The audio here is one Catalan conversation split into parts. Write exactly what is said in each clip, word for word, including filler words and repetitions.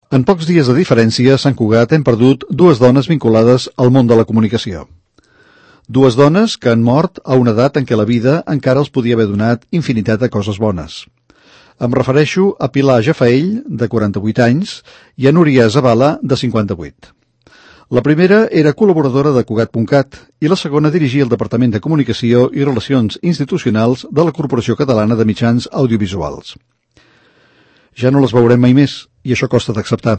En pocs dies de diferència, a Sant Cugat hem perdut dues dones vinculades al món de la comunicació. Dues dones que han mort a una edat en què la vida encara els podia haver donat infinitat de coses bones. Em refereixo a Pilar Jafaell, de quaranta-vuit anys, i a Núria Zavala, de cinquanta-vuit. La primera era col·laboradora de Cugat punt cat i la segona dirigia el Departament de Comunicació i Relacions Institucionals de la Corporació Catalana de Mitjans Audiovisuals. Ja no les veurem mai més, i això costa d'acceptar.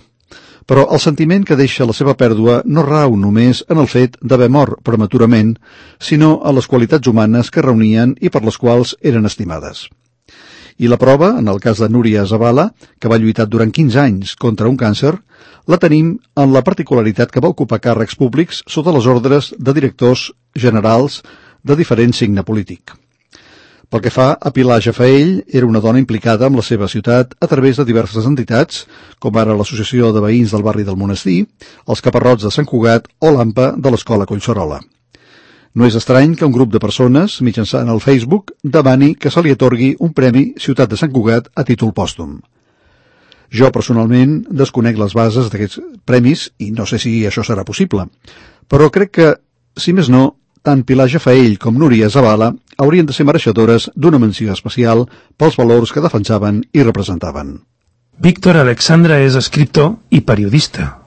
Però el sentiment que deixa la seva pèrdua no rau només en el fet d'haver mort prematurament, sinó a les qualitats humanes que reunien i per les quals eren estimades. I la prova, en el cas de Núria Zavala, que va lluitar durant quinze anys contra un càncer, la tenim en la particularitat que va ocupar càrrecs públics sota les ordres de directors generals de diferent signe polític. Pel que fa a Pilar Jafaell, era una dona implicada amb la seva ciutat a través de diverses entitats, com ara l'Associació de Veïns del Barri del Monestir, els Caparrots de Sant Cugat o l'AMPA de l'Escola Collserola. No és estrany que un grup de persones, mitjançant el Facebook, demani que se li atorgui un premi Ciutat de Sant Cugat a títol pòstum. Jo, personalment, desconec les bases d'aquests premis i no sé si això serà possible, però crec que, si més no, tant Pilar Jafaell com Núria Zavala haurien de ser mereixedores d'una menció especial pels valors que defensaven i representaven. Víctor Alexandra és escriptor i periodista.